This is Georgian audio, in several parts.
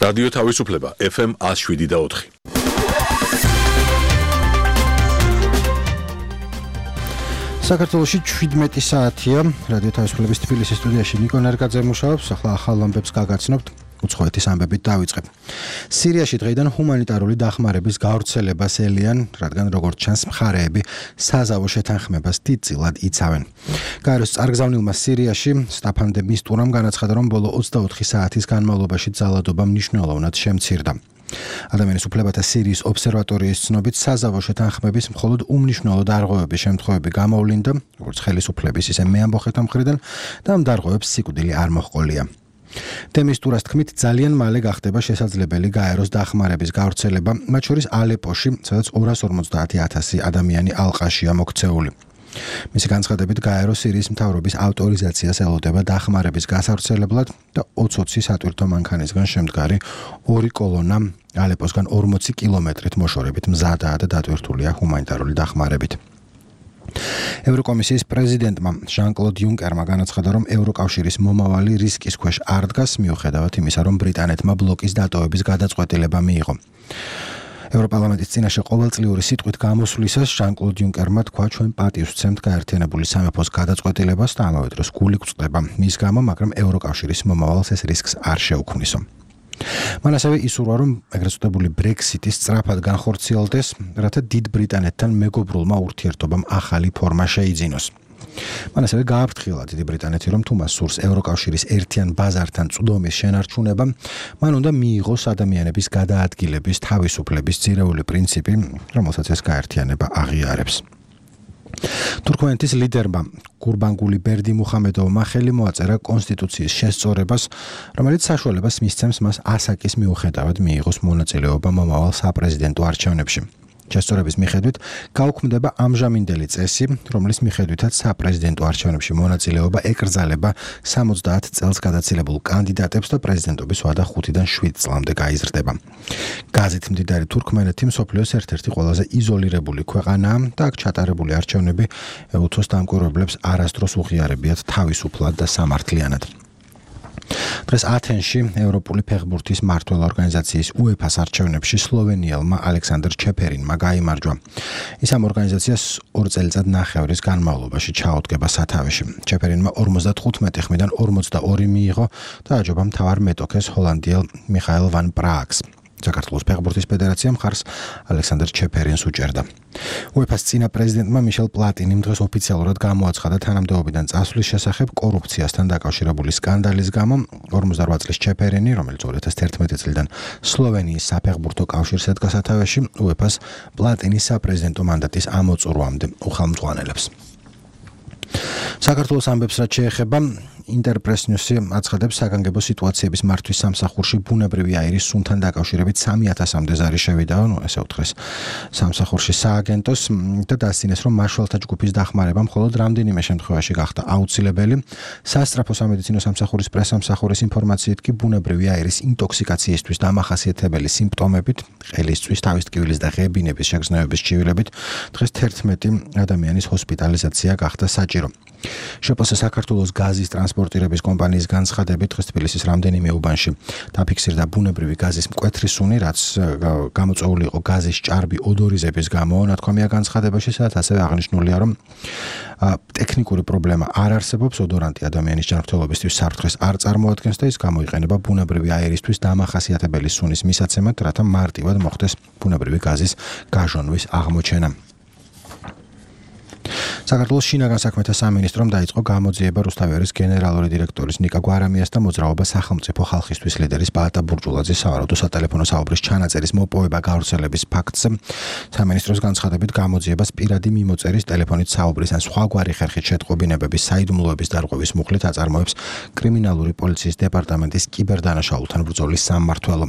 რადიო თავისუფლება FM 107.4. საქართველოში 17 საათია. რადიო თავისუფლების თბილისის სტუდიაში ნიკო ნერგაძე მუშაობს. ახლა ახალ ამბებს გაგაცნობთ. უცხოეთის ამბებით დავიწყებ. სირიაში დღეიდან ჰუმანიტარული დახმარების გავრცელებას ელიან, რადგან როგორც ჩანს მხარეები საზავო შეთანხმებას დიდწილად იცავენ. გაეროს წარგზავნილმა სირიაში სტაფან დე მისტურამ განაცხადა, რომ ბოლო 24 საათის განმავლობაში ძალადობა მნიშვნელოვნად შემცირდა. ადამიანის უფლებათა სირიის ობსერვატორიის ცნობით საზავო შეთანხმების მხოლოდ უმნიშვნელო დარღვევების შემთხვევები გამოვლინდა, როგორც ხელისუფლების ისე მეამბოხეთა მხრიდან და ამ დარღვევებს სიკვდილი არ მოჰყოლია. დემისტურას თქმით, ძალიან მალე გახდება შესაძლებელი გაეროს დახმარების გავრცელება, მათ შორის ალეპოში, სადაც 250,000 ადამიანი ალყაშია მოქცეული. მისი განცხადებით, გაერო სირიის მთავრობის ავტორიზაციას ელოდება დახმარების გასავრცელებლად და 20 სატვირთო მანქანისგან შემდგარი ორი კოლონა ალეპოსგან 40 კილომეტრით მოშორებით მზადაა და დატვირთულია ჰუმანიტარული დახმარებით. ევროკომისიის პრეზიდენტმა ჟან-კლოდ იუნკერმა განაცხადა, რომ ევროკავშირის მომავალი რისკის ქვეშ არ დგას, მიუხედავად იმისა, რომ ბრიტანეთმა ბლოკის დატოვების გადაწყვეტილება მიიღო. ევროპარლამენტის წინაშე ყოველწლიური სიტყვით გამოსვლისას ჟან-კლოდ იუნკერმა თქვა, ჩვენ პატივს ვცემთ გაერთიანებული სამეფოს გადაწყვეტილებას და ამავე დროს გული გვწყდება მის გამო, მაგრამ ევროკავშირის მომავალს ეს რისკს არ შეუქმნისო. მან ასევე ისურვა, რომ ეგრეთ წოდებული ბრექსიტი სწრაფად განხორციელდეს, რათა დიდ ბრიტანეთთან მეგობრულმა ურთიერთობამ ახალი ფორმა შეიძინოს. მან ასევე გააფრთხილა დიდი ბრიტანეთი, რომ თუ მას სურს ევროკავშირის ერთიან ბაზართან წვდომის შენარჩუნება, მან უნდა მიიღოს ადამიანების გადაადგილების თავისუფლების ძირეული პრინციპი, რომელსაც ეს გაერთიანება აღიარებს. თურქმენეთის ლიდერმა გურბანგული ბერდიმუხამედოვმა ხელი მოაწერა კონსტიტუციის შესწორებას, რომელიც საშუალებას მისცემს მას ასაკის მიუხედავად მიიღოს მონაწილეობა მომავალ საპრეზიდენტო არჩევნებში. შესწორების მიხედვით გაუქმდება ამჟამინდელი წესი, რომლის მიხედვითაც საპრეზიდენტო არჩევნებში მონაწილეობა ეკრძალება 70 წელს გადაცილებულ კანდიდატებს და პრეზიდენტობის ვადა 5-დან 7 წლამდე გაიზრდება. გაზეთ მდიდარი თურქმენეთი მსოფლიოს ერთ-ერთი ყველაზე იზოლირებული ქვეყანაა და აქ ჩატარებული არჩევნები უცხოს დამკვირვებლებს არასდროს უღიარებიათ თავისუფლად და სამართლიანად. დღეს ათენში ევროპული ფეხბურთის მმართველ ორგანიზაციის UEFA-ს არჩევნებში სლოვენიელმა ალექსანდრ ჩეფერინმა გაიმარჯვა. ის ამ ორგანიზაციას 2 წელიწად-ნახევრის განმავლობაში ჩაუდგება სათავეში. ჩეფერინმა 55 ხმიდან 42 მიიღო და აჯობა მთავარ მეტოქეს ჰოლანდიელ მიხაელ ვან პრააგს. საქართველოს ფეხბურთის ფედერაციამ მხარს ალექსანდრ ჩეფერინს უჭერდა. UEFA-ს წინა პრეზიდენტმა მიშელ პლატინიმ დღეს ოფიციალურად გამოაცხადა თანამდებობიდან წასვლის შესახებ კორუფციასთან დაკავშირებული სკანდალის გამო. 48 წლის ჩეფერინი, რომელიც 2011 წლიდან სლოვენიის საფეხბურთო კავშირს ედგა სათავეში, UEFA-ს პლატინის საპრეზიდენტო მანდატის ამოწურვამდე უხელმძღვანელებს. საქართველოს ამბებს რაც შეეხება, ინტერპრეს ნიუსი აცხადებს, საგანგებო სიტუაციების მართვის სამსახურში ბუნებრივი აირის სუნთან დაკავშირებით 3000-მდე ზარი შევიდა, ესე უთხრეს სამსახურში სააგენტოს და დასძინეს, რომ მაშველთა ჯგუფის დახმარება მხოლოდ რამდენიმე შემთხვევაში გახდა აუცილებელი. სასწრაფო სამედიცინო სამსახურის პრესამსახურის ინფორმაციით კი ბუნებრივი აირის ინტოქსიკაციისთვის დამახასიათებელი სიმპტომებით, ყელისწვის, თავის ტკივილის და ღებინების შეგრძნებების ჩივილებით დღეს 11 ადამიანის ჰოსპიტალიზაცია გახდა საჭირო. შპს საქართველოს გაზის ტრანსპორტირების კომპანიის განცხადებით, დღეს თბილისის რამდენიმე უბანში დაფიქსირდა ბუნებრივი გაზის მკვეთრი სუნი, რაც გამოწვეული იყო გაზის ჭარბი ოდორიზების გამო. ნათქვამია განცხადებაში, სადაც ასევე აღნიშნულია, რომ ტექნიკური პრობლემა არ არსებობს, ოდორანტი ადამიანის ჯანმრთელობისთვის საფრთხეს არ წარმოადგენს და ის გამოიყენება ბუნებრივი აირისთვის დამახასიათებელი სუნის მისაცემად, რათა მარტივად მოხდეს ბუნებრივი გაზის გაჟონვის აღმოჩენა. საქართველოს შინაგან საქმეთა სამინისტრომ დაიწყო გამოძიება რუსთავიარის გენერალური დირექტორის ნიკა გვარამიას და მოძრაობა სახელმწიფო ხალხისთვის ლიდერის ბაატა ბურჯულაძის სავარაუდო სატელეფონო საუბრის ჩანაწერის მოპოვება გავრცელების ფაქტზე. სამინისტროს განცხადებით, გამოძიებას პირადი მიმოწერის, ტელეფონით საუბრის ან სხვაგვარი ხერხით შეტყობინებების, საიდუმლოების დარღვევის მუხლით აწარმოებს კრიმინალური პოლიციის დეპარტამენტის კიბერდანაშაულთან ბრძოლის სამმართველო.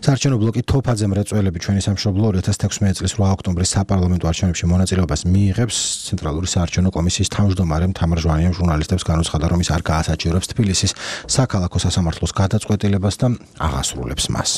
საარჩევნო ბლოკი თოფაძე მრეწველები ჩვენი სამშობლო 2016 წლის 8 ოქტომბრის საპარლამენტო არჩევნებში მონაწილეობას მიიღებს. ცენტრალური საარჩევნო კომისიის თავმჯდომარემ თამარ ჟვანიამ ჟურნალისტებს განუცხადა, რომ ის არ გაასაჩივრებს თბილისის საქალაქო სასამართლოს გადაწყვეტილებას და აღასრულებს მას.